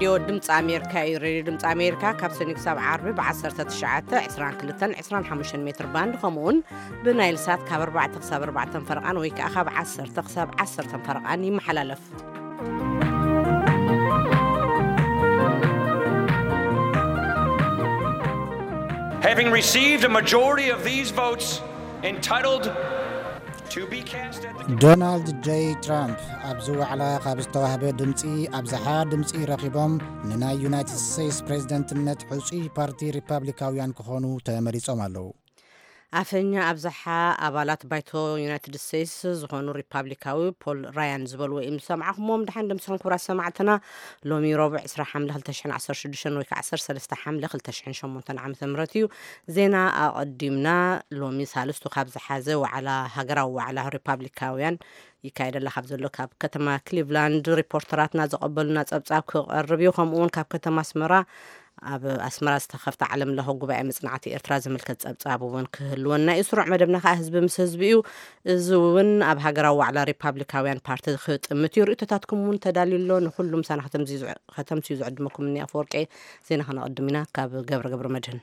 ሬድዮ ድምፂ ኣሜሪካ እዩ። ሬድዮ ድምፂ ኣሜሪካ ካብ ሰኒ ክሳብ ዓርቢ ብ19፣ 22፣ 25 ሜትር ባንድ፣ ከምኡ እውን ብናይል ሳት ካብ ኣርባዕተ ክሳብ ኣርባዕተ ፈረቓን ወይ ከዓ ካብ ዓሰርተ ክሳብ ዓሰርተ ፈረቓን ይመሓላለፍ። Having received a majority of these votes, entitled to be cast at the ዶናልድ ጄ ትራምፕ ኣብዚ ዋዕላ ካብ ዝተዋህበ ድምፂ ኣብዝሓ ድምፂ ረኺቦም ንናይ ዩናይትድ ስቴትስ ፕሬዝደንትነት ሕፁይ ፓርቲ ሪፓብሊካውያን ክኾኑ ተመሪፆም ኣለዉ። ኣፈኛ ኣብዝሓ ኣባላት ባይቶ ዩናይትድ ስቴትስ ዝኾኑ ሪፓብሊካዊ ፖል ራያን ዝበልዎ እዩ ዝሰማዕኹምዎም። ደሓን ደምስኹም ክቡራት ሰማዕትና። ሎሚ ረቡዕ ዕስራ ሓምለ ክልተ ሽሕን ዓሰርተ ሽዱሽተን ወይ ከዓ ዓሰርተ ሰለስተ ሓምለ ክልተ ሽሕን ሸሞንተን ዓመተ ምህረት እዩ። ዜና ኣቐዲምና። ሎሚ ሳልስቱ ካብ ዝሓዘ ዋዕላ፣ ሃገራዊ ዋዕላ ሪፓብሊካውያን ይካየደላ ካብ ዘሎ ካብ ከተማ ክሊቭላንድ ሪፖርተራትና ዘቐበሉና ጸብጻብ ክቐርብ እዩ። ከምኡ እውን ካብ ከተማ ኣስመራ ኣብ ኣስመራ ዝተኸፍተ ዓለም ለኸ ጉባኤ መጽናዕቲ ኤርትራ ዝምልከት ጸብጻብ እውን ክህልወና እዩ። ስሩዕ መደብና ከዓ ህዝቢ ምስ ህዝቢ እዩ። እዚ እውን ኣብ ሃገራዊ ዋዕላ ሪፓብሊካውያን ፓርቲ ክጥምት እዩ። ርእይቶታትኩም እውን ተዳልዩ ኣሎ። ንኹሉም ምሳና ከተምስዩ ዝዕ-፣ ከተምስዩ ዝዕድመኩም እኒ ኣፈወርቂ። ዜና ከነቐድም ኢና ካብ ገብረ ገብረ መድህን።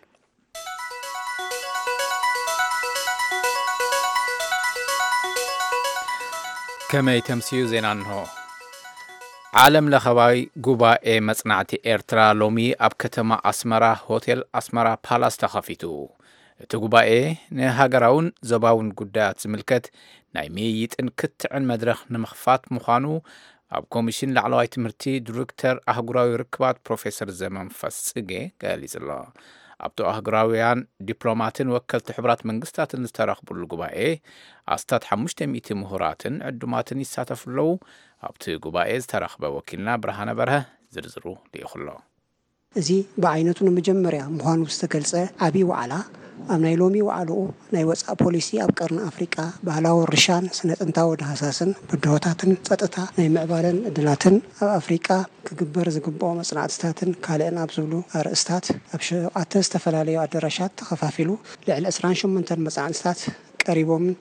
ከመይ ተምስዩ ዜና እንሆ። ዓለም ለኸባዊ ጉባኤ መጽናዕቲ ኤርትራ ሎሚ ኣብ ከተማ ኣስመራ ሆቴል ኣስመራ ፓላስ ተኸፊቱ። እቲ ጉባኤ ንሃገራውን ዞባውን ጉዳያት ዝምልከት ናይ ምይይጥን ክትዕን መድረኽ ንምኽፋት ምዃኑ ኣብ ኮሚሽን ላዕለዋይ ትምህርቲ ዲሬክተር ኣህጉራዊ ርክባት ፕሮፌሰር ዘመንፈስ ጽጌ ገሊጹ ኣሎ። ኣብቲ ኣህጉራውያን ዲፕሎማትን ወከልቲ ሕቡራት መንግስታትን ዝተረኽቡሉ ጉባኤ ኣስታት ሓሙሽተ ሚእቲ ምሁራትን ዕዱማትን ይሳተፉ ኣለዉ። ኣብቲ ጉባኤ ዝተረኽበ ወኪልና ብርሃነ በርሀ ዝርዝሩ ልኢኹ ኣሎ። እዚ ብዓይነቱ ንመጀመርያ ምዃኑ ዝተገልጸ ዓቢ ዋዕላ፣ ኣብ ናይ ሎሚ ዋዕላኡ ናይ ወጻኢ ፖሊሲ ኣብ ቀርኒ ኣፍሪቃ፣ ባህላዊ ርሻን ስነ ጥንታዊ ዳህሳስን ብድሆታትን ጸጥታ ናይ ምዕባለን ዕድላትን ኣብ ኣፍሪቃ ክግበር ዝግብኦ መጽናዕትታትን ካልእን ኣብ ዝብሉ ኣርእስታት ኣብ ሸውዓተ ዝተፈላለዩ ኣዳራሻት ተኸፋፊሉ ልዕሊ ዕስራን ሸሞንተን መጽናዕትታት ቀሪቦምን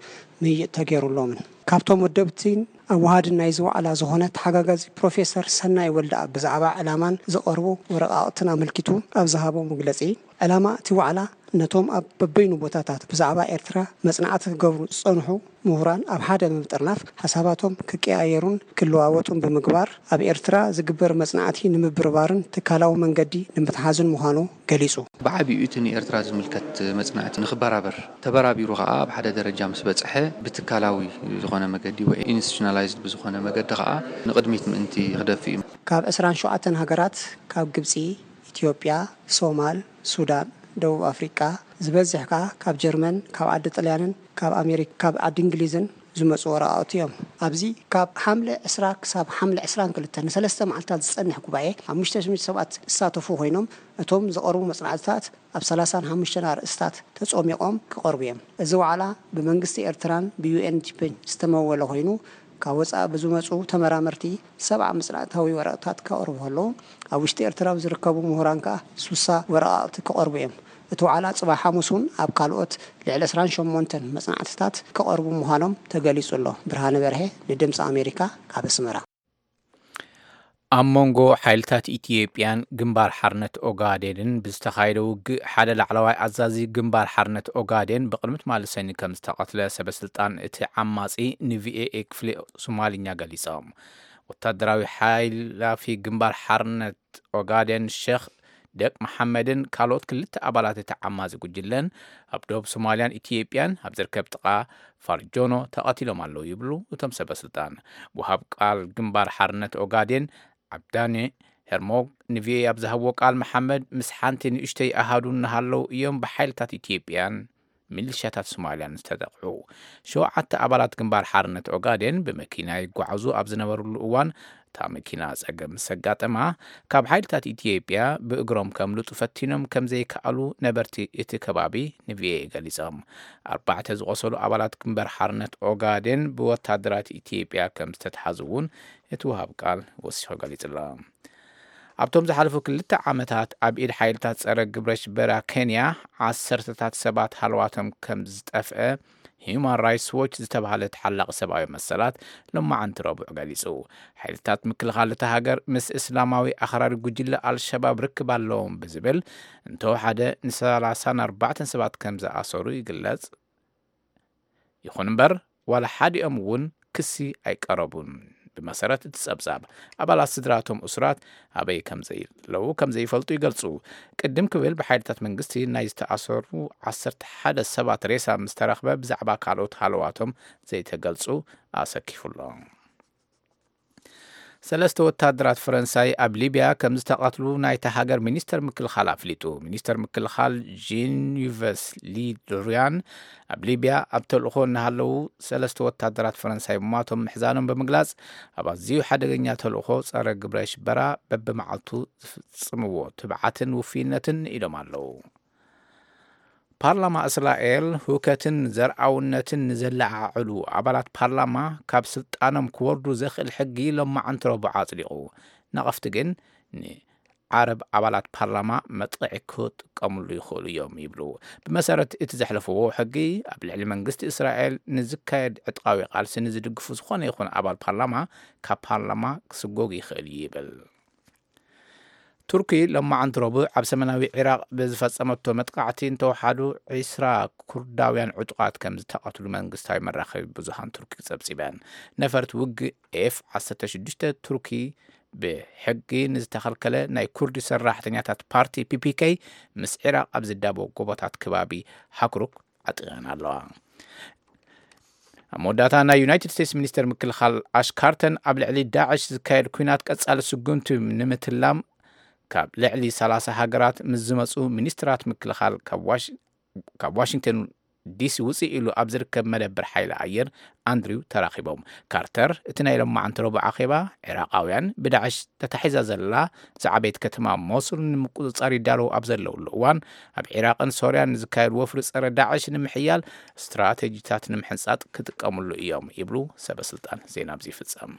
ምይይጥ ተገይሩሎምን። ካብቶም ወደብቲን ኣወሃድን ናይዚ ዋዕላ ዝኾነ ተሓጋጋዚ ፕሮፌሰር ሰናይ ወልደኣብ ብዛዕባ ዕላማን ዝቐርቡ ወረቓቕትን ኣመልኪቱ ኣብ ዝሃቦ መግለጺ፣ ዕላማ እቲ ዋዕላ ነቶም ኣብ በበይኑ ቦታታት ብዛዕባ ኤርትራ መጽናዕቲ ክገብሩ ዝጸንሑ ምሁራን ኣብ ሓደ ብምጥርናፍ ሓሳባቶም ክቀያየሩን ክለዋወጡን ብምግባር ኣብ ኤርትራ ዝግበር መጽናዕቲ ንምብርባርን ትካላዊ መንገዲ ንምትሓዝን ምዃኑ ገሊጹ። ብዓቢኡ እቲ ንኤርትራ ዝምልከት መጽናዕቲ ንኽበራበር፣ ተበራቢሩ ኸኣ ኣብ ሓደ ደረጃ ምስ በጽሐ ብትካላዊ ዝኾነ መገዲ ወይ ኢንስቲቱሽናላይዝድ ብዝኾነ መገዲ ኸኣ ንቕድሚት ምእንቲ ክደፍእ እዩ። ካብ ዕስራን ሸውዓተን ሃገራት፣ ካብ ግብጺ፣ ኢትዮጵያ፣ ሶማል፣ ሱዳን፣ ደቡብ ኣፍሪቃ፣ ዝበዝሕ ከኣ ካብ ጀርመን፣ ካብ ዓዲ ጥልያንን ካብ ኣሜሪካ፣ ካብ ዓዲ እንግሊዝን ዝመጹ ወረቓቕቲ እዮም። ኣብዚ ካብ ሓምለ ዕስራ ክሳብ ሓምለ ዕስራን ክልተ ንሰለስተ መዓልታት ዝጸንሕ ጉባኤ፣ ሓሙሽተ ሽሕ ሰባት ዝሳተፉ ኮይኖም፣ እቶም ዝቐርቡ መጽናዕትታት ኣብ ሰላሳን ሓሙሽተን ኣርእስታት ተጾሚቖም ክቐርቡ እዮም። እዚ ዋዕላ ብመንግስቲ ኤርትራን ብዩኤንዲፒን ዝተመወለ ኮይኑ፣ ካብ ወጻኢ ብዝመጹ ተመራመርቲ ሰብዓ መጽናዕታዊ ወረቕታት ከቕርቡ ከለዉ፣ ኣብ ውሽጢ ኤርትራ ዝርከቡ ምሁራን ከኣ ሱሳ ወረቓቕቲ ክቐርቡ እዮም። እቲ ዋዕላ ጽባሕ ሓሙስ እውን ኣብ ካልኦት ልዕሊ ዕስራን ሸሞንተን መጽናዕትታት ክቐርቡ ምዃኖም ተገሊጹ ኣሎ። ብርሃነ በርሀ ንድምጺ ኣሜሪካ ካብ ኣስመራ። ኣብ መንጎ ሓይልታት ኢትዮጵያን ግንባር ሓርነት ኦጋዴንን ብዝተኻየደ ውግእ፣ ሓደ ላዕለዋይ ኣዛዚ ግንባር ሓርነት ኦጋዴን ብቕድሚ ትማሊ ሰኒ ከም ዝተቐትለ ሰበ ስልጣን እቲ ዓማጺ ንቪኦኤ ክፍሊ ሶማልኛ ገሊጾም። ወታደራዊ ሓይላፊ ግንባር ሓርነት ኦጋዴን ሸኽ ደቅ መሓመድን ካልኦት ክልተ ኣባላት እቲ ዓማጺ ጉጅለን ኣብ ደቡብ ሶማልያን ኢትዮጵያን ኣብ ዝርከብ ጥቓ ፋርጆኖ ተቐቲሎም ኣለዉ ይብሉ እቶም ሰበ ስልጣን። ወሃብ ቃል ግንባር ሓርነት ኦጋዴን ዓብዳኒ ሄርሞግ ንቪኦኤ ኣብ ዝሃብዎ ቃል፣ መሓመድ ምስ ሓንቲ ንእሽተይ ኣሃዱ እናሃለዉ እዮም ብሓይልታት ኢትዮጵያን ሚሊሻታት ሶማልያን ዝተጠቕዑ። ሸውዓተ ኣባላት ግንባር ሓርነት ኦጋዴን ብመኪና ይጓዓዙ ኣብ ዝነበሩሉ እዋን፣ እታ መኪና ጸገም ምስ ኣጋጠማ፣ ካብ ሓይልታት ኢትዮጵያ ብእግሮም ከምልጡ ፈቲኖም ከም ዘይከኣሉ ነበርቲ እቲ ከባቢ ንቪኦኤ ገሊጾም። ኣርባዕተ ዝቖሰሉ ኣባላት ግንባር ሓርነት ኦጋዴን ብወታደራት ኢትዮጵያ ከም ዝተትሓዙ እውን እቲ ወሃብ ቃል ወሲኹ ገሊጹ ኣሎ። ኣብቶም ዝሓለፉ ክልተ ዓመታት ኣብ ኢድ ሓይልታት ጸረ ግብረ ሽበራ ኬንያ ዓሰርተታት ሰባት ሃለዋቶም ከም ዝጠፍአ ሂዩማን ራይትስ ዎች ዝተባህለ ተሓላቒ ሰብኣዊ መሰላት ሎማዓንቲ ረቡዕ ገሊጹ። ሓይልታት ምክልኻል እታ ሃገር ምስ እስላማዊ ኣኽራሪ ጉጅለ ኣልሸባብ ርክብ ኣለዎም ብዝብል እንተወሓደ ን34 ሰባት ከም ዝኣሰሩ ይግለጽ። ይኹን እምበር ዋላ ሓዲኦም እውን ክሲ ኣይቀረቡን። ብመሰረት እቲ ጸብጻብ፣ ኣባላት ስድራቶም እሱራት ኣበይ ከም ዘለዉ ከም ዘይፈልጡ ይገልጹ። ቅድም ክብል ብሓይልታት መንግስቲ ናይ ዝተኣሰሩ ዓሰርተ ሓደ ሰባት ሬሳ ምስ ተረኽበ ብዛዕባ ካልኦት ሃለዋቶም ዘይተገልጹ ኣሰኪፉ ኣሎ። ሰለስተ ወታደራት ፈረንሳይ ኣብ ሊብያ ከም ዝተቐትሉ ናይታ ሃገር ሚኒስተር ምክልኻል ኣፍሊጡ። ሚኒስተር ምክልኻል ጂን ዩቨስ ሊ ድሪያን ኣብ ሊብያ ኣብ ተልእኾ እናሃለዉ ሰለስተ ወታደራት ፈረንሳይ ምሟቶም ምሕዛኖም ብምግላጽ፣ ኣብ ኣዝዩ ሓደገኛ ተልእኾ ጸረ ግብረ ሽበራ በብመዓልቱ ዝፍጽምዎ ትብዓትን ውፍይነትን ኢሎም ኣለዉ። ፓርላማ እስራኤል ሁከትን ዘርኣውነትን ንዘለዓዕሉ ኣባላት ፓርላማ ካብ ስልጣኖም ክወርዱ ዘኽእል ሕጊ ሎማዓንቲ ረቡዕ ኣጽዲቑ። ነቐፍቲ ግን ንዓረብ ኣባላት ፓርላማ መጥቕዒ ክጥቀምሉ ይኽእሉ እዮም ይብሉ። ብመሰረት እቲ ዘሕለፍዎ ሕጊ፣ ኣብ ልዕሊ መንግስቲ እስራኤል ንዝካየድ ዕጥቃዊ ቃልሲ ንዝድግፉ ዝኾነ ይኹን ኣባል ፓርላማ ካብ ፓርላማ ክስጎግ ይኽእል እዩ ይብል። ቱርኪ ሎማዓንቲ ረቡዕ ኣብ ሰሜናዊ ዒራቕ ብዝፈጸመቶ መጥቃዕቲ እንተወሓዱ ዒስራ ኩርዳውያን ዕጡቓት ከም ዝተቐትሉ መንግስታዊ መራኸቢ ብዙሃን ቱርኪ ጸብጺበን። ነፈርቲ ውግእ ኤፍ ዓሰርተ ሽዱሽተ ቱርኪ ብሕጊ ንዝተኸልከለ ናይ ኩርዲ ሰራሕተኛታት ፓርቲ ፒ ፒ ኬ ምስ ዒራቕ ኣብ ዝዳቦ ጎቦታት ከባቢ ሃክሩክ ዓጢቐን ኣለዋ። ኣብ መወዳእታ ናይ ዩናይትድ ስቴትስ ሚኒስተር ምክልኻል ኣሽ ካርተን ኣብ ልዕሊ ዳዕሽ ዝካየድ ኲናት ቀጻሊ ስጉምቲ ንምትላም ካብ ልዕሊ ሰላሳ ሃገራት ምስ ዝመጹ ሚኒስትራት ምክልኻል ካብ ዋሽ- ካብ ዋሽንግተን ዲሲ ውፅእ ኢሉ ኣብ ዝርከብ መደብር ሓይሊ ኣየር ኣንድሪው ተራኺቦም። ካርተር እቲ ናይ ሎማዓንቲ ረቡዕ ኣኼባ፣ ዒራቓውያን ብዳዕሽ ተታሒዛ ዘላ ዝዓበየት ከተማ ሞሱል ንምቁፅፃር ይዳለዉ ኣብ ዘለውሉ እዋን፣ ኣብ ዒራቕን ሶርያን ንዝካየድ ወፍሪ ፀረ ዳዕሽ ንምሕያል ስትራቴጂታት ንምሕንፃጥ ክጥቀምሉ እዮም ይብሉ ሰበስልጣን። ዜና ኣብዚ ይፍፀም።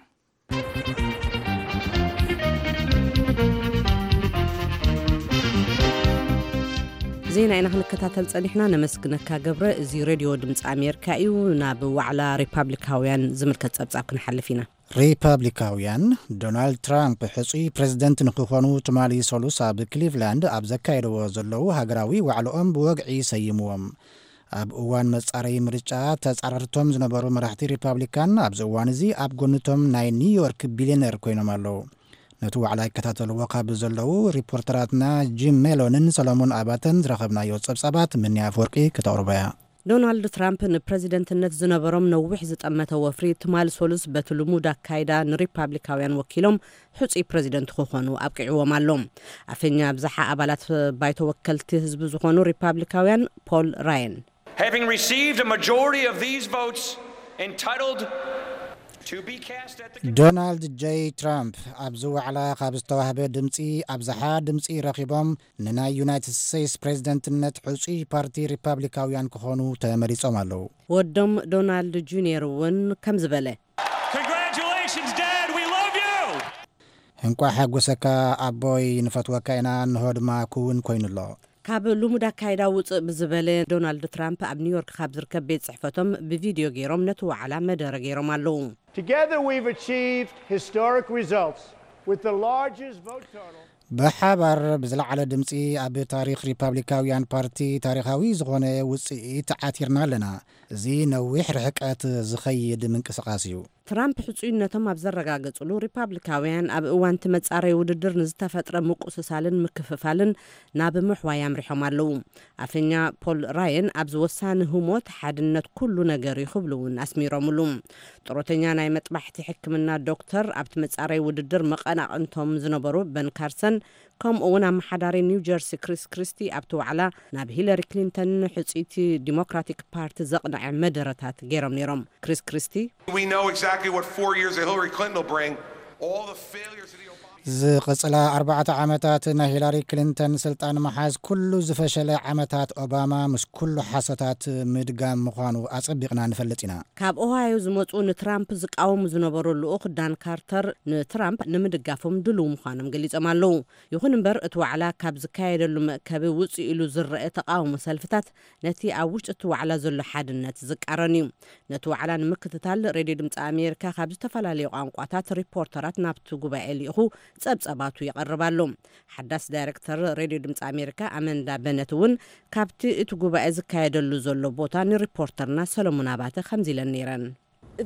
ዜና ኢና ክንከታተል ጸኒሕና። ነመስግነካ ገብረ። እዚ ሬድዮ ድምፂ ኣሜሪካ እዩ። ናብ ዋዕላ ሪፓብሊካውያን ዝምልከት ጸብጻብ ክንሓልፍ ኢና። ሪፓብሊካውያን ዶናልድ ትራምፕ ሕጹይ ፕሬዝደንት ንክኾኑ ትማሊ ሰሉስ ኣብ ክሊቭላንድ ኣብ ዘካየድዎ ዘለዉ ሃገራዊ ዋዕላኦም ብወግዒ ሰይምዎም። ኣብ እዋን መጻረዪ ምርጫ ተጻረርቶም ዝነበሩ መራሕቲ ሪፓብሊካን ኣብዚ እዋን እዚ ኣብ ጎንቶም ናይ ኒውዮርክ ቢልዮነር ኮይኖም ኣለዉ። ነቲ ዋዕላ ይከታተልዎ ካብ ዘለዉ ሪፖርተራትና ጂም ሜሎንን ሰሎሞን ኣባተን ዝረኸብናዮ ጸብጻባት ምንያ ኣፈወርቂ ከተቕርቦ እያ። ዶናልድ ትራምፕ ንፕረዚደንትነት ዝነበሮም ነዊሕ ዝጠመተ ወፍሪ ትማሊ ሰሉስ በቲ ልሙድ ኣካይዳ ንሪፓብሊካውያን ወኪሎም ሕጹይ ፕረዚደንት ክኾኑ ኣብቂዕዎም ኣሎ። ኣፈኛ ብዝሓ ኣባላት ባይቶ ወከልቲ ህዝቢ ዝኾኑ ሪፓብሊካውያን ፖል ራየን Having received a majority of these votes entitled to be cast at the ዶናልድ ጄይ ትራምፕ ኣብዚ ዋዕላ ካብ ዝተዋህበ ድምፂ ኣብዝሓ ድምፂ ረኺቦም ንናይ ዩናይትድ ስቴትስ ፕሬዝደንትነት ሕፁይ ፓርቲ ሪፓብሊካውያን ክኾኑ ተመሪፆም ኣለዉ። ወዶም ዶናልድ ጁኒየር እውን ከምዚ በለ። Congratulations, Dad. We love you. እንቋዕ ሓጎሰካ ኣቦይ፣ ንፈትወካ ኢና፣ እንሆ ድማ ክውን ኮይኑ ኣሎ። ካብ ልሙድ ኣካይዳ ውፅእ ብዝበለ ዶናልድ ትራምፕ ኣብ ኒውዮርክ ካብ ዝርከብ ቤት ፅሕፈቶም ብቪድዮ ገይሮም ነቲ ዋዕላ መደረ ገይሮም ኣለዉ። Together we've achieved historic results with the largest vote total. ብሓባር ብዝለዓለ ድምፂ ኣብ ታሪኽ ሪፓብሊካውያን ፓርቲ ታሪኻዊ ዝኾነ ውፅኢት ዓቲርና ኣለና። እዚ ነዊሕ ርሕቀት ዝኸይድ ምንቅስቓስ እዩ። ትራምፕ ሕጹይነቶም ኣብ ዘረጋገጹሉ፣ ሪፓብሊካውያን ኣብ እዋን እቲ መጻረይ ውድድር ንዝተፈጥረ ምቁስሳልን ምክፍፋልን ናብ ምሕዋይ ኣምሪሖም ኣለዉ። ኣፈኛ ፖል ራየን ኣብዚ ወሳኒ ህሞት ሓድነት ኩሉ ነገር እዩ ክብሉ እውን ኣስሚሮምሉ። ጥሮተኛ ናይ መጥባሕቲ ሕክምና ዶክተር ኣብቲ መጻረይ ውድድር መቐናቕንቶም ዝነበሩ በን ካርሰን ከምኡ እውን ኣመሓዳሪ ኒው ጀርሲ ክሪስ ክሪስቲ ኣብቲ ዋዕላ ናብ ሂለሪ ክሊንተን ሕጽይቲ ዲሞክራቲክ ፓርቲ ዘቕንዐ መደረታት ገይሮም ነይሮም። ክሪስ ክሪስቲ We know exactly what four years of Hillary Clinton will bring. All the failures of the Obama ዝቐጽላ ኣርባዕተ ዓመታት ናይ ሂላሪ ክሊንተን ስልጣን ምሓዝ፣ ኩሉ ዝፈሸለ ዓመታት ኦባማ ምስ ኩሉ ሓሶታት ምድጋም ምዃኑ ኣጸቢቕና ንፈልጥ ኢና። ካብ ኦሃዮ ዝመጹ ንትራምፕ ዝቃወሙ ዝነበሩ ልኡኽ ዳን ካርተር ንትራምፕ ንምድጋፎም ድሉው ምዃኖም ገሊጾም ኣለዉ። ይኹን እምበር፣ እቲ ዋዕላ ካብ ዝካየደሉ መእከቢ ውጽእ ኢሉ ዝረአ ተቃውሞ ሰልፍታት ነቲ ኣብ ውሽጢ እቲ ዋዕላ ዘሎ ሓድነት ዝቃረን እዩ። ነቲ ዋዕላ ንምክትታል፣ ሬድዮ ድምፂ ኣሜሪካ ካብ ዝተፈላለዩ ቋንቋታት ሪፖርተራት ናብቲ ጉባኤ ልኢኹ ጸብጸባቱ የቕርብ ኣሎ። ሓዳስ ዳይሬክተር ሬድዮ ድምፂ ኣሜሪካ ኣመንዳ በነት እውን ካብቲ እቲ ጉባኤ ዝካየደሉ ዘሎ ቦታ ንሪፖርተርና ሰለሙን ኣባተ ከምዚ ኢለን ነይረን።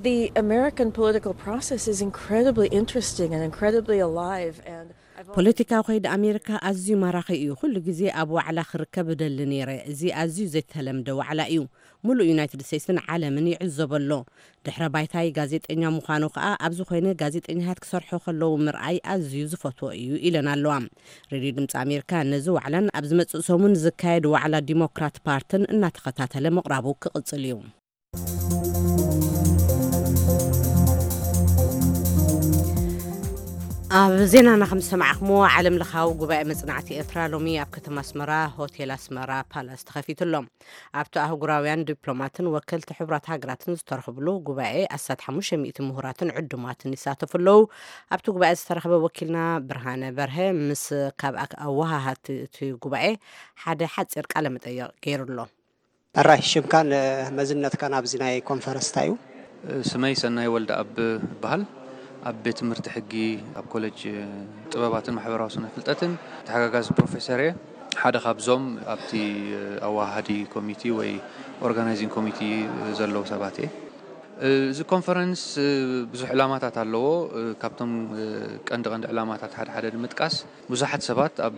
The American political process is incredibly interesting and incredibly alive, and I've always ፖለቲካዊ ከይዲ ኣሜሪካ ኣዝዩ ማራኺ እዩ። ኩሉ ግዜ ኣብ ዋዕላ ክርከብ እደሊ ነይረ። እዚ ኣዝዩ ዘይተለምደ ዋዕላ እዩ። ሙሉእ ዩናይትድ ስቴትስን ዓለምን ይዕዘቦ ኣሎ። ድሕረ ባይታይ ጋዜጠኛ ምዃኑ ከኣ፣ ኣብዚ ኮይነ ጋዜጠኛታት ክሰርሑ ከለዉ ምርኣይ ኣዝዩ ዝፈትዎ እዩ፣ ኢለን ኣለዋ። ሬድዮ ድምፂ ኣሜሪካ ነዚ ዋዕላን ኣብ ዝመጽእ ሰሙን ዝካየድ ዋዕላ ዲሞክራት ፓርትን እናተኸታተለ ምቕራቡ ክቕጽል እዩ። ኣብ ዜናና ከም ዝሰማዕኹምዎ፣ ዓለም ለኻዊ ጉባኤ መጽናዕቲ ኤርትራ ሎሚ ኣብ ከተማ ኣስመራ ሆቴል ኣስመራ ፓላስ ተኸፊቱ ኣሎ። ኣብቲ ኣህጉራውያን ዲፕሎማትን ወከልቲ ሕቡራት ሃገራትን ዝተረኽብሉ ጉባኤ ኣስታት ሓሙሽተ ሚእቲ ምሁራትን ዕዱማትን ይሳተፉ ኣለዉ። ኣብቲ ጉባኤ ዝተረኽበ ወኪልና ብርሃነ በርሀ ምስ ካብ ኣክ-፣ ኣወሃሃድቲ እቲ ጉባኤ ሓደ ሓጺር ቃለ መጠይቕ ገይሩ ኣሎ። ኣራይ፣ ሽምካን መዝነትካን ኣብዚ ናይ ኮንፈረንስ እንታይ እዩ? ስመይ ሰናይ ወልደኣብ እበሃል። ኣብ ቤት ትምህርቲ ሕጊ ኣብ ኮሌጅ ጥበባትን ማሕበራዊ ስነ ፍልጠትን ተሓጋጋዚ ፕሮፌሰር እየ። ሓደ ካብዞም ኣብቲ ኣወሃሃዲ ኮሚቲ ወይ ኦርጋናይዚንግ ኮሚቲ ዘለዉ ሰባት እየ። እዚ ኮንፈረንስ ብዙሕ ዕላማታት ኣለዎ። ካብቶም ቀንዲ ቀንዲ ዕላማታት ሓደ ሓደ ንምጥቃስ፣ ብዙሓት ሰባት ኣብ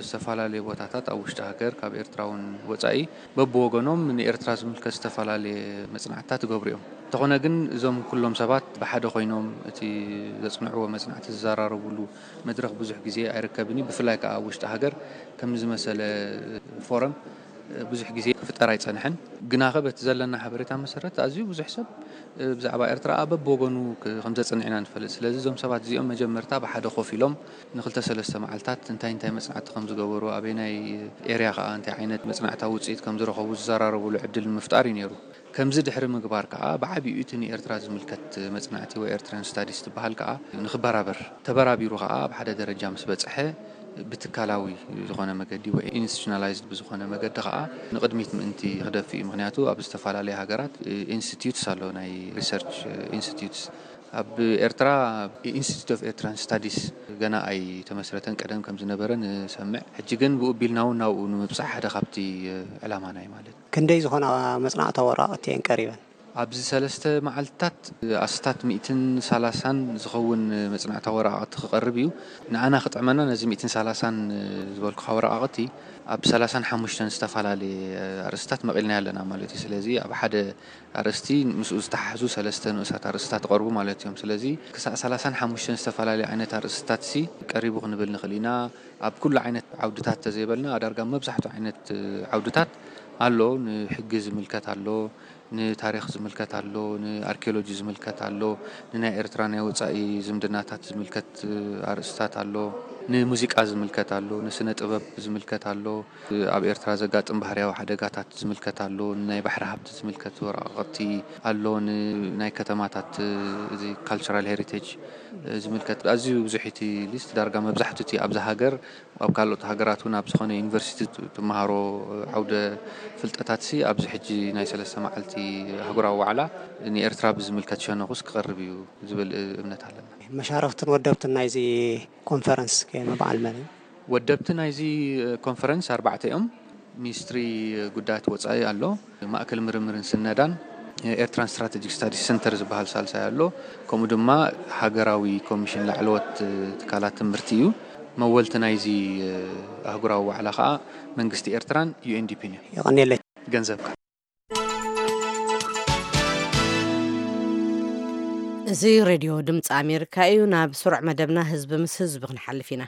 ዝተፈላለዩ ቦታታት ኣብ ውሽጢ ሃገር፣ ካብ ኤርትራ እውን ወጻኢ፣ በብወገኖም ንኤርትራ ዝምልከት ዝተፈላለየ መጽናዕትታት ይገብሩ እዮም። እንተኾነ ግን፣ እዞም ኩሎም ሰባት ብሓደ ኮይኖም እቲ ዘጽንዕዎ መጽናዕቲ ዝዘራረቡሉ መድረኽ ብዙሕ ግዜ ኣይርከብን እዩ። ብፍላይ ከኣ ኣብ ውሽጢ ሃገር ከምዚ ዝመሰለ ፎረም ብዙሕ ግዜ ክፍጠር ኣይጸንሐን። ግናኸ በቲ ዘለና ሓበሬታ መሰረት ኣዝዩ ብዙሕ ሰብ ብዛዕባ ኤርትራ በብወገኑ ክ-፣ ከም ዘጽንዕ ኢና ንፈልጥ። ስለዚ እዞም ሰባት እዚኦም መጀመርታ ብሓደ ኮፍ ኢሎም ንክልተ ሰለስተ መዓልታት እንታይ እንታይ መጽናዕቲ ከም ዝገበሩ፣ ኣበየናይ ኤርያ ከኣ እንታይ ዓይነት መጽናዕታዊ ውጽኢት ከም ዝረኸቡ ዝዘራረቡሉ ዕድል ንምፍጣር እዩ ነይሩ። ከምዚ ድሕሪ ምግባር ከኣ ብዓቢኡ እቲ ንኤርትራ ዝምልከት መጽናዕቲ ወይ ኤርትራን ስታዲስ ትበሃል ከኣ ንክበራበር፣ ተበራቢሩ ከኣ ኣብ ሓደ ደረጃ ምስ በጽሐ ብትካላዊ ዝኾነ መገዲ ወይ ኢንስቲቱሽናላይዝድ ብዝኾነ መገዲ ከኣ ንቕድሚት ምእንቲ ክደፍእ እዩ። ምኽንያቱ ኣብ ዝተፈላለያ ሃገራት ኢንስቲትዩትስ ኣሎ፣ ናይ ሪሰርች ኢንስቲትዩትስ። ኣብ ኤርትራ ኢንስቲትዩት ኦፍ ኤርትራን ስታዲስ ገና ኣይተመስረተን፣ ቀደም ከም ዝነበረ ንሰምዕ። ሕጂ ግን ብኡ ቢልና እውን ናብኡ ንምብጻሕ ሓደ ካብቲ ዕላማና እዩ ማለት እዩ። ክንደይ ዝኾና መጽናዕታዊ ወረቓቕቲ እየን ቀሪበን? ኣብዚ ሰለስተ መዓልትታት ኣስታት ሚእትን ሰላሳን ዝኸውን መጽናዕታዊ ወረቓቕቲ ክቐርብ እዩ። ንኣና ክጥዕመና ነዚ ሚእትን ሰላሳን ዝበልኩኻ ወረቓቕቲ ኣብ ሰላሳን ሓሙሽተን ዝተፈላለየ ኣርእስታት መቒልናዮ ኣለና ማለት እዩ። ስለዚ ኣብ ሓደ ኣርእስቲ ምስኡ ዝተሓሕዙ ሰለስተ ንኡሳት ኣርእስታት ይቐርቡ ማለት እዮም። ስለዚ ክሳዕ ሰላሳን ሓሙሽተን ዝተፈላለየ ዓይነት ኣርእስታት ሲ ቀሪቡ ክንብል ንኽእል ኢና። ኣብ ኩሉ ዓይነት ዓውድታት ተዘይበልና፣ ዳርጋ መብዛሕትኡ ዓይነት ዓውድታት ኣሎ። ንሕጊ ዝምልከት ኣሎ፣ ንታሪኽ ዝምልከት ኣሎ፣ ንኣርኪኦሎጂ ዝምልከት ኣሎ፣ ንናይ ኤርትራ ናይ ወጻኢ ዝምድናታት ዝምልከት ኣርእስታት ኣሎ፣ ንሙዚቃ ዝምልከት ኣሎ፣ ንስነ ጥበብ ዝምልከት ኣሎ፣ ኣብ ኤርትራ ዘጋጥም ባህርያዊ ሓደጋታት ዝምልከት ኣሎ፣ ንናይ ባሕሪ ሃብቲ ዝምልከት ወረቓቕቲ ኣሎ፣ ንናይ ከተማታት፣ እዚ ካልቸራል ሄሪቴጅ ዝምልከት። ኣዝዩ ብዙሕ እቲ ሊስት። ዳርጋ መብዛሕትኡ እቲ ኣብዛ ሃገር ኣብ ካልኦት ሃገራት እውን ኣብ ዝኾነ ዩኒቨርሲቲ ት-፣ ትመሃሮ ዓውደ ፍልጠታት ሲ ኣብዚ ሕጂ ናይ ሰለስተ መዓልቲ ኣህጉራዊ ዋዕላ ንኤርትራ ብዝምልከት ሸነኹስ ክቐርብ እዩ ዝብል እምነት ኣለና። መሻርኽትን ወደብትን ናይዚ ኮንፈረንስ ከ በዓል መን እዩ? ወደብቲ ናይዚ ኮንፈረንስ ኣርባዕተ እዮም። ሚኒስትሪ ጉዳያት ወጻኢ ኣሎ፣ ማእከል ምርምርን ስነዳን፣ ኤርትራን ስትራቴጂክ ስታዲስ ሰንተር ዝበሃል ሳልሳይ ኣሎ፣ ከምኡ ድማ ሃገራዊ ኮሚሽን ላዕለዎት ትካላት ትምህርቲ እዩ። መወልቲ ናይዚ ኣህጉራዊ ዋዕላ ከኣ መንግስቲ ኤርትራን ዩ ኤን ዲ ፒን እዮም። የቐንየለይ። ገንዘብካ። እዚ ሬድዮ ድምፂ ኣሜሪካ እዩ። ናብ ስሩዕ መደብና ህዝቢ ምስ ህዝቢ ክንሓልፍ ኢና።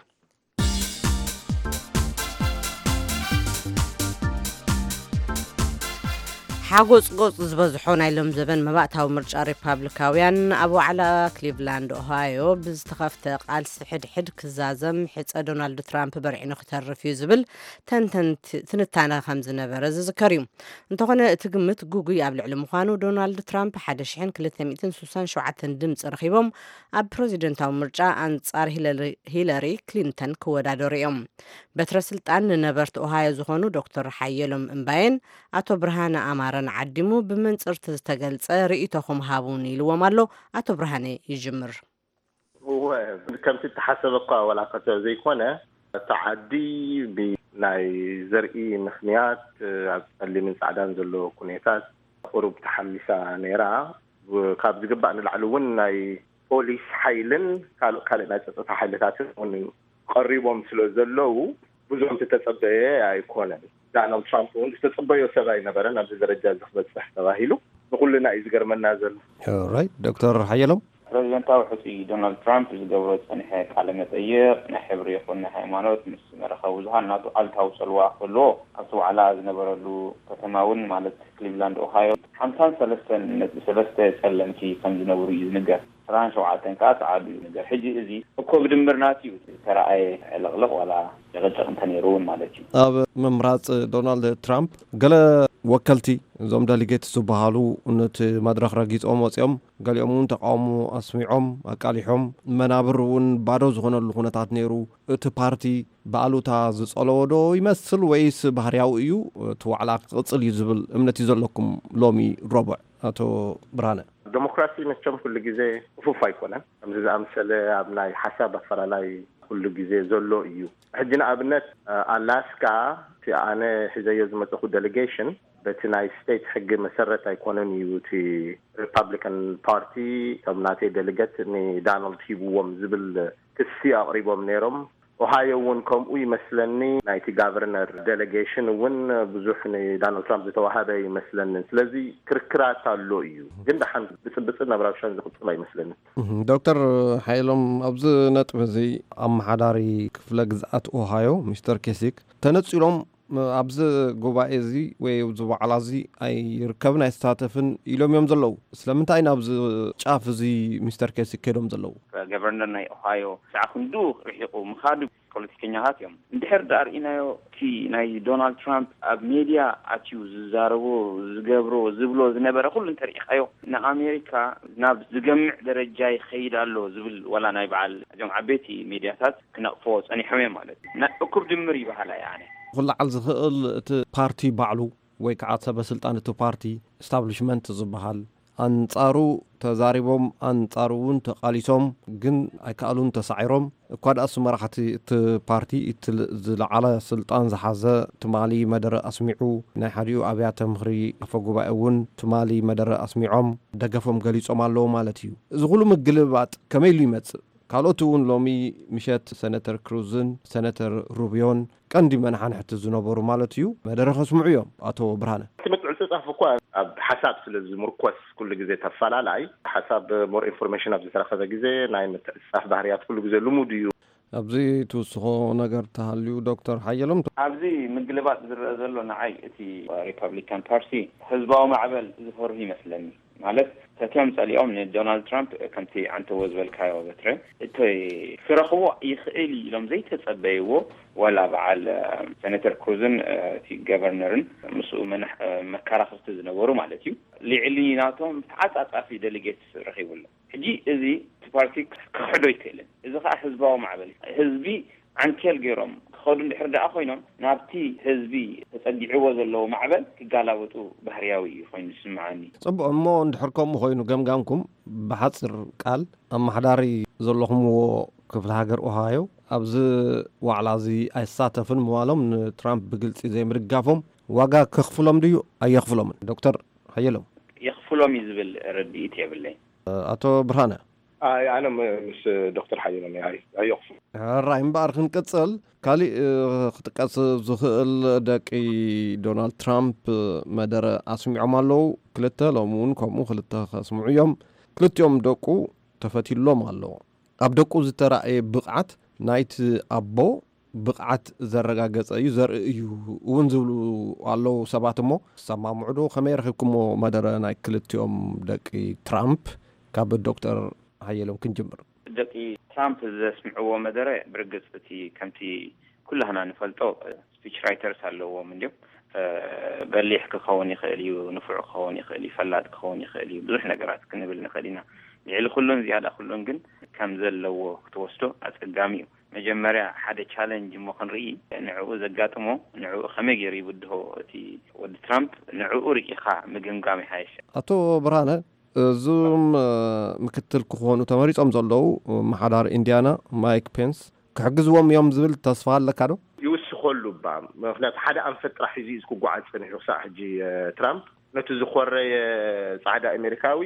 ሓጎጽጎጽ ዝበዝሖ ናይ ሎም ዘበን መባእታዊ ምርጫ ሪፓብሊካውያን ኣብ ዋዕላ ክሊቭላንድ ኦሃዮ ብዝተኸፍተ ቃልሲ ሕድሕድ ክዛዘም ሕጸ ዶናልድ ትራምፕ በርዒኑ ክተርፍ እዩ ዝብል ተንተንቲ ትንታነ ከም ዝነበረ ዝዝከር እዩ። እንተኾነ እቲ ግምት ጉጉይ ኣብ ልዕሊ ምዃኑ ዶናልድ ትራምፕ ሓደ ሽሕን ክልተ ሚእትን ስሳን ሸውዓተን ድምፂ ረኺቦም ኣብ ፕሬዚደንታዊ ምርጫ ኣንጻር ሂለሪ ክሊንተን ክወዳደሩ እዮም። በትረ ስልጣን ንነበርቲ ኦሃዮ ዝኾኑ ዶክተር ሓየሎም እምባየን ኣቶ ብርሃነ ኣማረን ዓዲሙ ብመንፅርት ዝተገልፀ ርእይቶኹም ሃቡን ኢልዎም ኣሎ። ኣቶ ብርሃነ ይጅምር። እወ፣ ከምቲ እተሓሰበ እኳ ዋላ ከተ ዘይኮነ፣ እቲ ዓዲ ብናይ ዘርኢ ምኽንያት ኣብ ጸሊምን ጻዕዳን ዘሎ ኩነታት ቁሩብ ተሓሚሳ ነይራ። ካብ ዝግባእ ንላዕሊ እውን ናይ ፖሊስ ሓይልን ካልእ ካልእ ናይ ጸጥታ ሓይልታትን እውን ቀሪቦም ስለ ዘለዉ ብዙም ዝተጸበየ ኣይኮነን። ዳናልድ ትራምፕ እውን ዝተጸበዮ ሰብ ኣይነበረን ኣብዚ ደረጃ እዚ ክበጽሕ ተባሂሉ። ንኹልና እዩ ዝገርመና ዘሎ። ራይት ዶክተር ሓየሎም። ፕረዚደንታዊ ሕፁይ ዶናልድ ትራምፕ ዝገብሮ ዝፀንሐ ቃለ መጠይቕ ናይ ሕብሪ ይኹን ናይ ሃይማኖት ምስ መራኸቢ ብዙሃን ናቱ ኣሉታዊ ፀልዋ ክህልዎ ኣብቲ ዋዕላ ዝነበረሉ ከተማ እውን ማለት ክሊቭላንድ ኦሃዮ ሓምሳን ሰለስተን ነጥቢ ሰለስተ ፀለምቲ ከም ዝነብሩ እዩ ዝንገር። ዕስራን ሸውዓተን ከዓ ፀዓዱ እዩ ዝንገር። ሕጂ እዚ እኮ ብድምር ናቱ እዩ ዝተረኣየ ዕልቕልቕ ዋላ ጭቕጭቕ እንተነይሩ እውን ማለት እዩ። ኣብ ምምራፅ ዶናልድ ትራምፕ ገለ ወከልቲ እዞም ደሊጌት ዝበሃሉ ነቲ መድረኽ ረጊፆም ወፂኦም፣ ገሊኦም እውን ተቃውሞ ኣስሚዖም ኣቃሊሖም። መናብር እውን ባዶ ዝኾነሉ ኩነታት ነይሩ። እቲ ፓርቲ ብኣሉታ ዝፀለዎ ዶ ይመስል ወይስ ባህርያዊ እዩ? እቲ ዋዕላ ክቕፅል እዩ ዝብል እምነት እዩ ዘለኩም ሎሚ ረቡዕ? ኣቶ ብርሃነ። ዴሞክራሲ መቸም ኩሉ ግዜ ክፉፍ ኣይኮነን። ከምዚ ዝኣምሰለ ኣብ ናይ ሓሳብ ኣፈላላይ ኩሉ ግዜ ዘሎ እዩ። ሕጂ ንኣብነት ኣላስካ እቲ ኣነ ሒዘዮ ዝመፀኹ ዴሌጌሽን በቲ ናይ ስቴት ሕጊ መሰረት ኣይኮነን እዩ እቲ ሪፓብሊካን ፓርቲ እቶም ናተይ ደሊገት ንዳናልድ ሂብዎም ዝብል ክሲ ኣቕሪቦም ነይሮም። ኦሃዮ እውን ከምኡ ይመስለኒ። ናይቲ ጋቨርነር ዴሌጌሽን እውን ብዙሕ ንዳናልድ ትራምፕ ዝተዋሃበ ይመስለንን። ስለዚ ክርክራት ኣሎ እዩ፣ ግን ደሓን ብፅብፅን ናብ ራብሻን ዝቕፅል ኣይመስለንን። ዶክተር ሓይሎም፣ ኣብዚ ነጥቢ እዚ ኣመሓዳሪ ክፍለ ግዝኣት ኦሃዮ ሚስተር ኬሲክ ተነፂሎም ኣብዚ ጉባኤ እዚ ወይ ኣብዚ ዋዕላ እዚ ኣይርከብን ኣይሳተፍን ኢሎም እዮም ዘለዉ። ስለምንታይ ናብዚ ጫፍ እዚ ሚስተር ኬሲክ ከይዶም ዘለዉ? ገቨርነር ናይ ኦሃዮ ሰዓ ክንዱ ርሒቑ ምኻዱ ፖለቲከኛታት እዮም። እንድሕር ደኣ ርኢናዮ እቲ ናይ ዶናልድ ትራምፕ ኣብ ሜድያ ኣትዩ ዝዛረቦ ዝገብሮ ዝብሎ ዝነበረ ኩሉ እንተርኢኻዮ ንኣሜሪካ ናብ ዝገምዕ ደረጃ ይኸይድ ኣሎ ዝብል ዋላ ናይ በዓል እዞም ዓበይቲ ሜድያታት ክነቕፎ ጸኒሖም እዮም ማለት እዩ። ናይ እኩብ ድምር ይበሃል ኣነ። ክለዓል ዝኽእል እቲ ፓርቲ ባዕሉ ወይ ከዓ ሰበ ስልጣን እቲ ፓርቲ፣ ኢስታብሊሽመንት ዝበሃል፣ ኣንጻሩ ተዛሪቦም ኣንጻሩ እውን ተቓሊሶም ግን ኣይከኣሉን ተሳዒሮም። እኳ ደኣሱ መራሕቲ እቲ ፓርቲ እቲ ዝለዓለ ስልጣን ዝሓዘ ትማሊ መደረ ኣስሚዑ፣ ናይ ሓዲኡ ኣብያተ ምኽሪ ኣፈ ጉባኤ እውን ትማሊ መደረ ኣስሚዖም ደገፎም ገሊጾም ኣለዉ ማለት እዩ። እዚ ኩሉ ምግልባጥ ከመይ ኢሉ ይመጽእ? ካልኦት እውን ሎሚ ምሸት ሰነተር ክሩዝን ሰነተር ሩቢዮን ቀንዲ መናሓንሕቲ ዝነበሩ ማለት እዩ መደረ ከስምዑ እዮም። ኣቶ ብርሃነ። እቲ ምትዕፅፃፍ እኳ ኣብ ሓሳብ ስለ ዝምርኮስ ኩሉ ግዜ ተፈላላይ ሓሳብ ሞር ኢንፎርሜሽን ኣብ ዝተረኸበ ግዜ ናይ ምትዕፅፃፍ ባህርያት ኩሉ ግዜ ልሙድ እዩ። ኣብዚ ትውስኾ ነገር ተሃልዩ ዶክተር ሓየሎም? ኣብዚ ምግልባጥ ዝረአ ዘሎ ንዓይ እቲ ሪፓብሊካን ፓርቲ ህዝባዊ ማዕበል ዝፈርሁ ይመስለኒ። ማለት ፈትዮም ጸሊኦም ንዶናልድ ትራምፕ ከምቲ ዓንተዎ ዝበልካዮ በትረ እቲ ክረኽቦ ይኽእል እዩ ኢሎም ዘይተጸበይዎ ዋላ በዓል ሰነተር ክሩዝን እቲ ገቨርነርን ምስኡ መካራኽርቲ ዝነበሩ ማለት እዩ ልዕሊ ናቶም ተዓጻጻፊ ደሊጌትስ ረኺቡ ኣሎ። ሕጂ እዚ እቲ ፓርቲ ክኽሕዶ ኣይክእልን። እዚ ከዓ ህዝባዊ ማዕበል እዩ። ህዝቢ ዓንኬል ገይሮም ክኸዱ እንድሕር ደኣ ኮይኖም ናብቲ ህዝቢ ተጸጊዕዎ ዘለዎ ማዕበል ክጋላበጡ ባህርያዊ እዩ ኮይኑ ዝስምዓኒ። ጽቡቕ እሞ እንድሕር ከምኡ ኮይኑ ገምጋምኩም ብሓጽር ቃል ኣመሓዳሪ ዘለኹምዎ ክፍለ ሃገር ኦሃዮ ኣብዚ ዋዕላ እዚ ኣይሳተፍን ምባሎም ንትራምፕ ብግልጺ ዘይምድጋፎም ዋጋ ከኽፍሎም ድዩ ኣየኽፍሎምን? ዶክተር ሓየሎም። የኽፍሎም እዩ ዝብል ርድኢት የብለይ። ኣቶ ብርሃነ። ኣይ ኣነ ምስ ዶክተር ሓየሎም ኣየኽፍሎ። ሕራይ እምበኣር ክንቅፅል ካሊእ ክጥቀስ ዝኽእል ደቂ ዶናልድ ትራምፕ መደረ ኣስሚዖም ኣለዉ። ክልተ ሎሚ እውን ከምኡ ክልተ ከስምዑ እዮም። ክልቲኦም ደቁ ተፈትዩሎም ኣሎ። ኣብ ደቁ ዝተራእየ ብቕዓት ናይቲ ኣቦ ብቕዓት ዘረጋገጸ እዩ፣ ዘርኢ እዩ እውን ዝብሉ ኣለዉ ሰባት። እሞ ዝሰማምዑ ዶ? ከመይ ረኺብኩሞ መደረ ናይ ክልቲኦም ደቂ ትራምፕ? ካብ ዶክተር ሓየሎም ክንጅምር። ደቂ ትራምፕ ዘስምዕዎ መደረ፣ ብርግጽ እቲ ከምቲ ኩላህና ንፈልጦ፣ ስፒች ራይተርስ ኣለዎም እንዲዮም። በሊሕ ክኸውን ይኽእል እዩ፣ ንፉዕ ክኸውን ይኽእል እዩ፣ ፈላጥ ክኸውን ይኽእል እዩ፣ ብዙሕ ነገራት ክንብል ንኽእል ኢና። ልዕሊ ኩሉን ዝያዳ ኩሉን ግን ከም ዘለዎ ክትወስዶ ኣጸጋሚ እዩ። መጀመርያ ሓደ ቻለንጅ እሞ ክንርኢ፣ ንዕኡ ዘጋጥሞ፣ ንዕኡ ከመይ ገይሩ ይብድሆ እቲ ወዲ ትራምፕ፣ ንዕኡ ርኢኻ ምግምጋም ይሓይሽ። ኣቶ ብርሃነ፣ እዞም ምክትል ክኾኑ ተመሪጾም ዘለዉ፣ ኣመሓዳሪ ኢንዲያና ማይክ ፔንስ ክሕግዝዎም እዮም ዝብል ተስፋ ኣለካ ዶ? ይውስኸሉ እባ። ምኽንያቱ ሓደ ኣንፈት ጥራሕ ሒዙ እዩ ክጓዓዝ ጸኒሑ ክሳዕ ሕጂ ትራምፕ። ነቲ ዝኾረየ ጻዕዳ ኣሜሪካዊ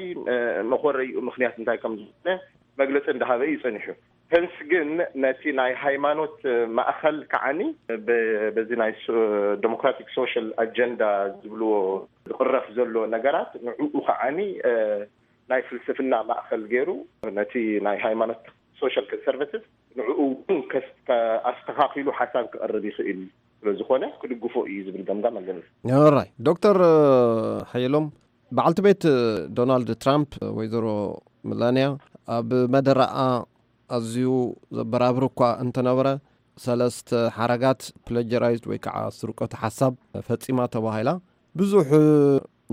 መኾረይኡ ምኽንያት እንታይ ከም ዝኾነ መግለጺ እንዳሃበ እዩ ጸኒሑ። ፔንስ ግን ነቲ ናይ ሃይማኖት ማእኸል ከዓኒ በዚ ናይ ዴሞክራቲክ ሶሻል ኣጀንዳ ዝብልዎ ዝቕረፍ ዘሎ ነገራት ንዕኡ ከዓኒ ናይ ፍልስፍና ማእኸል ገይሩ ነቲ ናይ ሃይማኖት ሶሻል ኮንሰርቫቲቭ ንዕኡ እውን ኣስተኻኺሉ ሓሳብ ክቐርብ ይኽእል ስለ ዝኾነ ክድግፎ እዩ ዝብል ገምጋም ኣለኒ። ራይ ዶክተር ሓየሎም፣ በዓልቲ ቤት ዶናልድ ትራምፕ ወይዘሮ መላንያ ኣብ መደረኣ ኣዝዩ ዘበራብር እኳ እንተነበረ፣ ሰለስተ ሓረጋት ፕለጀራይዝድ ወይ ከዓ ስርቆት ሓሳብ ፈጺማ ተባሂላ ብዙሕ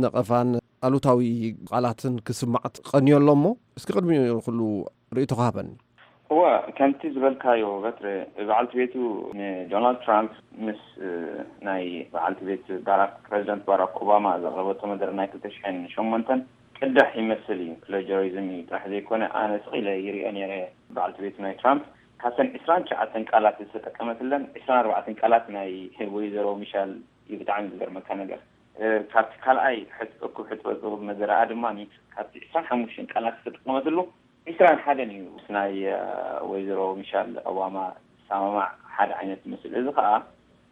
ነቐፋን ኣሉታዊ ቃላትን ክስማዕ ቀንዮ ኣሎ። እሞ እስኪ ቅድሚ ኩሉ ርእይቶኻ ሃበኒ። እወ፣ ከምቲ ዝበልካዮ በትሪ፣ በዓልቲ ቤቱ ንዶናልድ ትራምፕ ምስ ናይ በዓልቲ ቤት ባራክ ፕሬዚደንት ባራክ ኦባማ ዘቕረበቶ መደረ ናይ ክልተ ሽሕን ሸሞንተን ቅዳሕ ይመስል እዩ። ፕለጀሪዝም እዩ ጥራሕ ዘይኮነ፣ ኣነ ስቕ ኢለ ይሪኦ ነይረ። በዓልቲ ቤቱ ናይ ትራምፕ ካብተን ዕስራን ትሽዓተን ቃላት ዝተጠቀመትለን ዕስራን ኣርባዕተን ቃላት ናይ ወይዘሮ ሚሻል እዩ። ብጣዕሚ ዝገርመካ ነገር፣ ካብቲ ካልኣይ ሕጥቁ ሕጥቁ መዘረኣ ድማ ካብቲ ዕስራን ሓሙሽተን ቃላት ዝተጠቀመትሉ ዕስራን ሓደን እዩ ምስ ናይ ወይዘሮ ሚሻል ኦባማ ዝሰማማዕ ሓደ ዓይነት ይመስል። እዚ ከዓ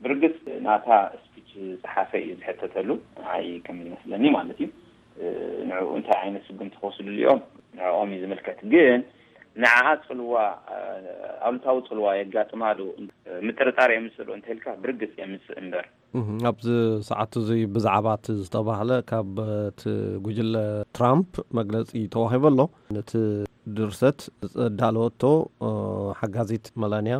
ብርግጽ ናታ ስፒች ዝጸሓፈ እዩ ዝሕተተሉ፣ ንዓይ ከም ዝመስለኒ ማለት እዩ። ንዕኡ እንታይ ዓይነት ስጉምቲ ክወስድሉ እዮም ንዕኦም እዩ ዝምልከት። ግን ንዓኣ ጽልዋ፣ ኣሉታዊ ጽልዋ የጋጥማ ዶ፣ ምጥርጣር የምጽእ ዶ እንተልካ ብርግጽ የምጽእ እምበር። እህ፣ ኣብዚ ሰዓት እዚ ብዛዕባ እቲ ዝተባህለ ካብ እቲ ጉጅለ ትራምፕ መግለጺ ተዋሂቡ ኣሎ። ነቲ ድርሰት ዘዳለወቶ ሓጋዚት መላንያ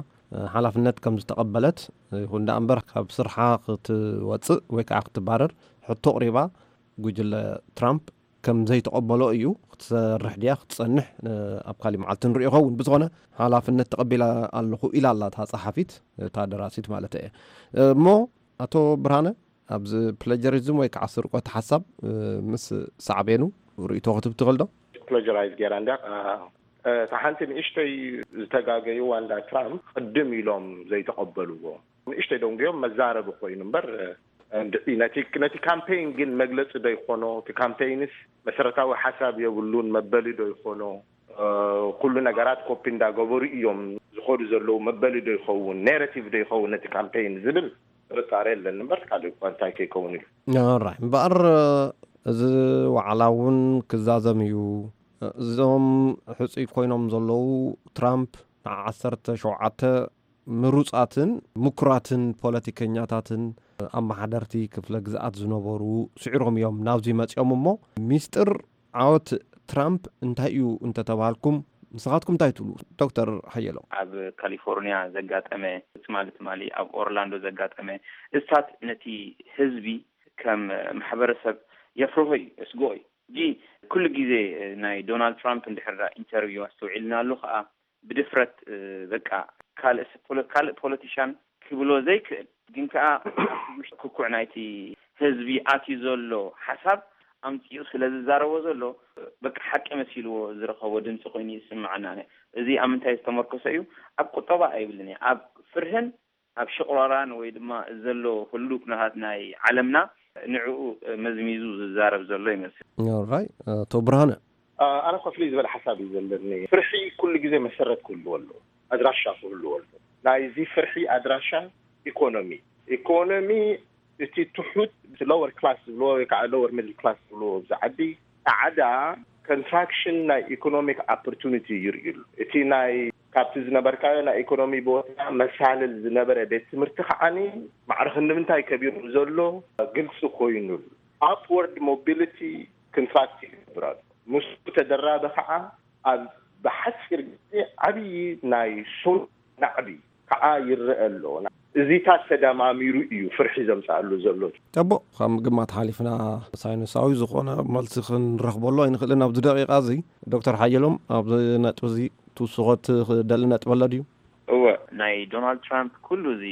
ሓላፍነት ከም ዝተቐበለት፣ ይኹን ደኣ እምበር ካብ ስርሓ ክትወጽእ ወይ ከዓ ክትባረር ሕቶ ኣቕሪባ፣ ጉጅለ ትራምፕ ከም ዘይተቐበሎ እዩ። ክትሰርሕ ድያ ክትጸንሕ ኣብ ካሊእ መዓልቲ ንሪኦ ይኸውን። ብዝኾነ ሓላፍነት ተቐቢለ ኣለኹ ኢላ ኣላ እታ ጸሓፊት እታ ደራሲት ማለት እየ። እሞ ኣቶ ብርሃነ፣ ኣብዚ ፕለጀሪዝም ወይ ከዓ ስርቆት ሓሳብ ምስ ሳዕቤኑ ርእይቶ ክትብ ትኽእል ዶ? ፕለጀራይዝ ገይራ እንድያ። እታ ሓንቲ ንእሽተይ ዝተጋገይዋ እንዳ ትራምፕ ቅድም ኢሎም ዘይተቐበልዎ ንእሽተይ ደንጉዮም መዛረቢ ኮይኑ እምበር፣ እንድዒ ነቲ ካምፔይን ግን መግለጺ ዶ ይኾኖ? እቲ ካምፔይንስ መሰረታዊ ሓሳብ የብሉን መበሊ ዶ ይኾኖ? ኩሉ ነገራት ኮፒ እንዳገበሩ እዮም ዝኸዱ ዘለዉ መበሊ ዶ ይኸውን፣ ኔሬቲቭ ዶ ይኸውን ነቲ ካምፔይን ዝብል ጥርጣሬ ኣለኒ እምበር ካልእ እኳ እንታይ ከይከውን ኢሉ። ራይ እምበኣር፣ እዚ ዋዕላ እውን ክዛዘም እዩ። እዞም ሕፁይ ኮይኖም ዘለዉ ትራምፕ ንዓሰርተ ሸውዓተ ምሩፃትን ምኩራትን ፖለቲከኛታትን ኣመሓደርቲ ክፍለ ግዝኣት ዝነበሩ ስዒሮም እዮም ናብዚ መፂኦም። እሞ ሚስጥር ዓወት ትራምፕ እንታይ እዩ እንተተባሃልኩም ንስኻትኩም እንታይ ትብሉ? ዶክተር ሓየሎም። ኣብ ካሊፎርኒያ ዘጋጠመ ትማሊ ትማሊ ኣብ ኦርላንዶ ዘጋጠመ እሳት ነቲ ህዝቢ ከም ማሕበረሰብ የፍርሆ እዩ፣ እስግኦ እዩ። ሕጂ ኩሉ ግዜ ናይ ዶናልድ ትራምፕ እንድሕር ኢንተርቪው ኣስተውዒልናሉ ከዓ ብድፍረት በቃ ካልእ ካልእ ፖለቲሻን ክብሎ ዘይክእል ግን ከዓ ውሽጢ ክኩዕ ናይቲ ህዝቢ ኣትዩ ዘሎ ሓሳብ ኣምፂኡ ስለ ዝዛረቦ ዘሎ በቃ ሓቂ መሲልዎ ዝረኸቦ ድምፂ ኮይኑ ይስምዓና። እዚ ኣብ ምንታይ ዝተመርኮሰ እዩ? ኣብ ቁጠባ ኣይብልን እየ፣ ኣብ ፍርህን ኣብ ሽቕራራን ወይ ድማ ዘሎ ህሉው ኩነታት ናይ ዓለምና ንዕኡ መዝሚዙ ዝዛረብ ዘሎ ይመስል። ራይ ኣቶ ብርሃነ። ኣነ ኮፍሊ ዝበለ ሓሳብ እዩ ዘለኒ። ፍርሒ ኩሉ ግዜ መሰረት ክህልዎ ኣለዎ፣ ኣድራሻ ክህልዎ ኣለዎ። ናይዚ ፍርሒ ኣድራሻ ኢኮኖሚ፣ ኢኮኖሚ እቲ ትሑት፣ እቲ ሎወር ክላስ ዝብልዎ ወይ ከዓ ሎወር ሚድል ክላስ ዝብልዎ ኣብዚ ዓዲ ፃዕዳ ኮንትራክሽን ናይ ኢኮኖሚክ ኦፖርቱኒቲ ይርእዩሉ። እቲ ናይ ካብቲ ዝነበርካዮ ናይ ኢኮኖሚ ቦታ መሳልል ዝነበረ ቤት ትምህርቲ ከዓኒ ማዕርኽ ንምንታይ ከቢሩ ዘሎ ግልፂ ኮይኑሉ። ኣፕወርድ ሞቢሊቲ ክንፋክት ይገብር ኣሎ። ምስኡ ተደራቢ ከዓ ኣብ ብሓፂር ግዜ ዓብዪ ናይ ሱር ናዕቢ ከዓ ይረአ ኣሎ። እዚታት ተደማሚሩ እዩ ፍርሒ ዘምፅኣሉ ዘሎ። ጠቦ ካብ ምግማት ሓሊፍና ሳይንሳዊ ዝኾነ መልሲ ክንረኽበሉ ኣይንኽእልን ኣብዚ ደቂቃ እዚ። ዶክተር ሓየሎም ኣብዚ ነጥቢ እዚ ትውስኾት ክደሊ ነጥቢ ኣሎ ድዩ? እወ፣ ናይ ዶናልድ ትራምፕ ኩሉ እዚ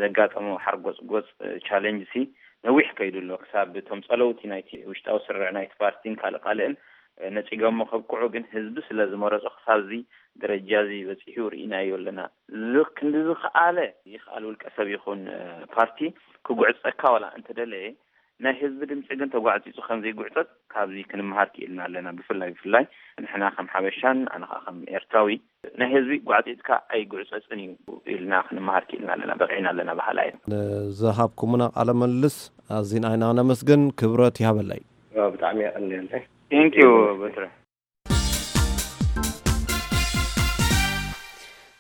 ዘጋጠሞ ሓርጎፅጎፅ ቻሌንጅ ሲ ነዊሕ ከይዱ ኣሎ። ክሳብ እቶም ፀለውቲ ናይቲ ውሽጣዊ ስርዕ ናይቲ ፓርቲን ካልእ ካልእን ነፂጎሞ ከብቅዑ ግን ህዝቢ ስለ ዝመረፆ ክሳብ እዚ ደረጃ እዚ በፂሑ ርኢናዮ ኣለና። እዚ ክንዲ ዝኸኣለ ይኽኣል ውልቀ ሰብ ይኹን ፓርቲ ክጉዕፀካ ዋላ እንተደለየ ናይ ህዝቢ ድምፂ ግን ተጓዕፂፁ ከም ዘይጉዕፀፅ ካብዚ ክንመሃር ክኢልና ኣለና። ብፍላይ ብፍላይ ንሕና ከም ሓበሻን ኣነ ከዓ ከም ኤርትራዊ ናይ ህዝቢ ጓዕፂፅካ ኣይጉዕፀፅን እዩ ኢልና ክንመሃር ክኢልና ኣለና። በቂዕና ኣለና በሃላይ። ንዝሃብኩምና ቃለ ምልልስ ኣዚና ኢና ነመስግን። ክብረት ይሃበለይ። ብጣዕሚ የቐንየለይ። ቴንኪዩ በትረ።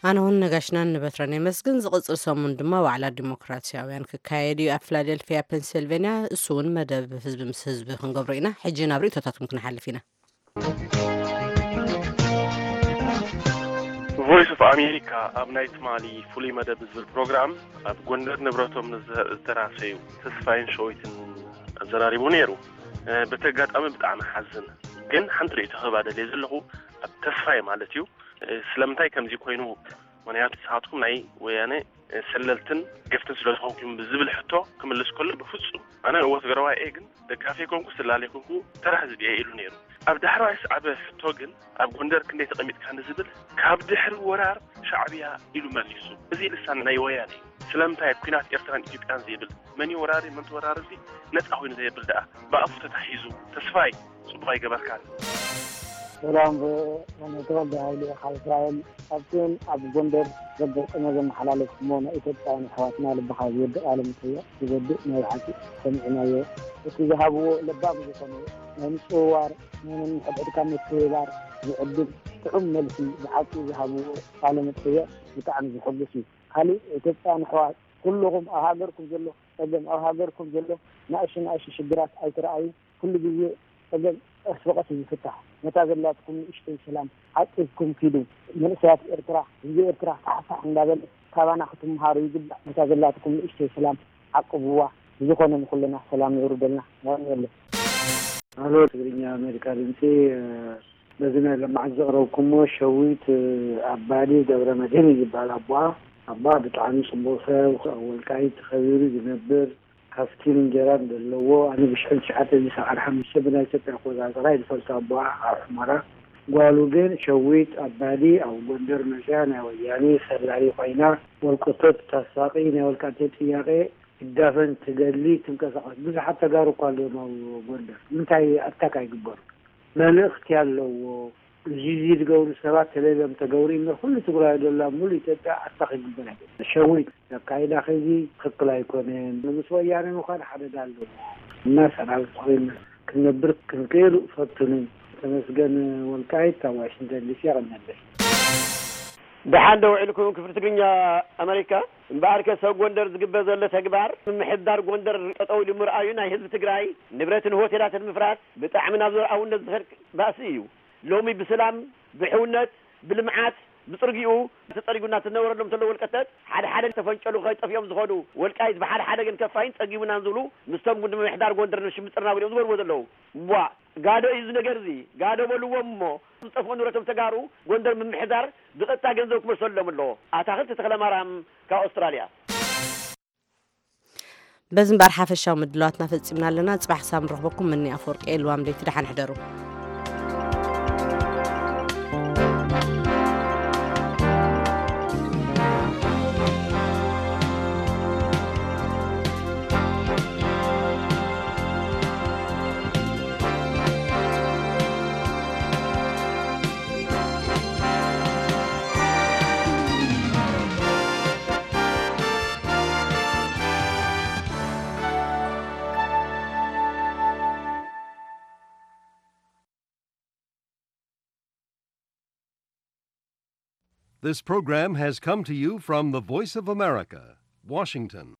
ኣነ እውን ነጋሽናን ንበትረን የመስግን። ዝቕፅል ሰሙን ድማ ዋዕላ ዲሞክራሲያውያን ክካየድ እዩ ኣብ ፊላደልፊያ ፔንሲልቬንያ። እሱ እውን መደብ ህዝቢ ምስ ህዝቢ ክንገብሮ ኢና። ሕጂ ናብ ርእቶታትኩም ክንሓልፍ ኢና። ቮይስ ኦፍ ኣሜሪካ ኣብ ናይ ትማሊ ፍሉይ መደብ ዝብል ፕሮግራም ኣብ ጎንደር ንብረቶም ዝተራሰዩ ተስፋይን ሸዊትን ኣዘራሪቡ ነይሩ። በቲ ኣጋጣሚ ብጣዕሚ ሓዝን፣ ግን ሓንቲ ርእይቶ ክህብ ኣደልየ ዘለኹ ኣብ ተስፋይ ማለት እዩ። ስለምንታይ ከምዚ ኮይኑ? ምክንያቱ ንስኻትኩም ናይ ወያነ ሰለልትን ገፍትን ስለዝኾንኩም ዝብል ሕቶ ክምልስ ከሎ ብፍፁም ኣነ እወ ትግራዋይ እየ ግን ደጋፊ ኮንኩ ስላሌ ኮንኩ ተራ ህዝቢ እየ ኢሉ ነይሩ። ኣብ ዳሕረዋይ ዝሰዓበ ሕቶ ግን ኣብ ጎንደር ክንደይ ተቐሚጥካ ንዝብል ካብ ድሕሪ ወራር ሻዕብያ ኢሉ መሊሱ። እዚ ልሳን ናይ ወያነ እዩ። ስለምንታይ ኣብ ኲናት ኤርትራን ኢትዮጵያን ዘይብል መን እዩ ወራሪ መን ተወራሪ እዚ ነፃ ኮይኑ ዘየብል ደኣ ብኣፉ ተታሒዙ ተስፋይ ጽቡቕ ኣይገበርካን። ሰላም ተወልደ ሃይለ ካብ እስራኤል ኣብትን ኣብ ጎንደር ዘጋጠመ ዘመሓላለፍኩሞ ናይ ኢትዮጵያውያን ኣሕዋትና ልብኻ ዝወድእ ቃለ መጠይቕ ዝወድእ ናይ ብሓቂ ሰሚዕናዮ። እቲ ዝሃብዎ ለባም ዝኾነ ናይ ምጽውዋር ናይ ነንሕድሕድካ ምትህብባር ዝዕድል ጥዑም መልሲ ብሓቂ ዝሃብዎ ቃለ መጠይቕ ብጣዕሚ ዝሕጉስ እዩ። ካሊእ ኢትዮጵያውያን ኣሕዋት ኩልኹም ኣብ ሃገርኩም ዘሎ ጸገም ኣብ ሃገርኩም ዘሎ ናእሽቱ ናእሽቱ ሽግራት ኣይትረኣዩ። ኩሉ ግዜ ጸገም ቀስ ብቐስ እዩ ዝፍታሕ። ነታ ዘላትኩም ንእሽተይ ሰላም ዓቂብኩም ኪዱ። መንእሰያት ኤርትራ ህዝቢ ኤርትራ ፋሕፋሕ እንዳበለ ካባና ክትምሃሩ ይግባእ። ነታ ዘላትኩም ንእሽተይ ሰላም ዓቅብዋ። ብዝኾነ ንኹልና ሰላም የውርደልና። የቐንየለይ። ሃሎ ትግርኛ ኣሜሪካ ድምፂ በዚ ናይ ለማዓት ዘቕረብኩሞ ሸዊት ኣባዲ ገብረ መድህን እዩ ዝበሃል ኣቦኣ። ኣቦኣ ብጣዕሚ ፅቡቕ ሰብ ኣብ ወልቃይት ተኸቢሩ ዝነብር ካስቲል እንጀራ ዘለዎ ኣነ ብሽሕን ትሽዓተ ሚእቲ ሰብዓን ሓሙሽተ ብናይ ኢትዮጵያ ኣቆፃፅራ እዩ ዝፈልጦ ኣቦኣ ኣብ ሑመራ። ጓሉ ግን ሸዊት ኣባዲ ኣብ ጎንደር መፅያ ናይ ወያኔ ሰላዪ ኮይና ወልቅቶት ታሳቒ ናይ ወልቃይት ጥያቄ ትጋፈን ትደሊ ትንቀሳቐስ ብዙሓት ተጋሩ እኳ ኣለዮም ኣብ ጎንደር ንምንታይ ኣታክ ኣይግበሩ? መልእኽቲ ኣለዎ። እዚ እዚ ዝገብሩ ሰባት ተለልዮም ተገብሩ እምበር ኩሉ ትግራይ ደላ ሙሉ ኢትዮጵያ ኣታኽ ይግበር ኣይኮነን። ሸዊት ዘካይዳ ከይዚ ትኽክል ኣይኮነን። ምስ ወያነ ምዃን ሓደጋ ኣለዎ እና ሰራዊት ኮይና ክንነብር ክንክእል ፈትኑ። ተመስገን ወልቃይት ካብ ዋሽንግተን ዲሲ የቐነለይ። ደሓን ዶ ውዒልኩም ክፍሊ ትግርኛ ኣመሪካ? እምበኣርከ ሰብ ጎንደር ዝግበር ዘሎ ተግባር ምምሕዳር ጎንደር ጠጠው ኢሉ ምርኣዩ ናይ ህዝቢ ትግራይ ንብረትን ሆቴላትን ምፍራስ ብጣዕሚ ናብ ዘርኣውነት ዝኸድ ባእሲ እዩ። ሎሚ ብሰላም፣ ብሕውነት፣ ብልምዓት፣ ብፅርጊኡ ተፀሪጉ እናተነበረሎም ዘሎ ወልቀተት ሓደ ሓደ ተፈንጨሉ ከይጠፍኦም ዝኾኑ ወልቃይት ብሓደ ሓደ ግን ከፋይን ፀጊቡናን ዝብሉ ምስቶም ጉድ ምምሕዳር ጎንደር ንሽምጥርና ብሎም ዝገብርዎ ዘለዉ ዋ ጋዶ እዩ እዚ ነገር እዚ ጋዶ በልዎም እሞ ዝጠፍኡ ንብረቶም ተጋሩ ጎንደር ምምሕዳር ብቐጥታ ገንዘብ ክመልሰሎም ኣለዎ። ኣታኽልቲ ተኽለማርያም ካብ ኣውስትራልያ። በዚ እምበኣር ሓፈሻዊ ምድላዋትና ፈጺምና ኣለና። ጽባሕ ክሳብ ንረኽበኩም ምኒ ኣፈወርቂ እየ። ልዋም ለይቲ ደሓን ሕደሩ። This program has come to you from the Voice of America, Washington.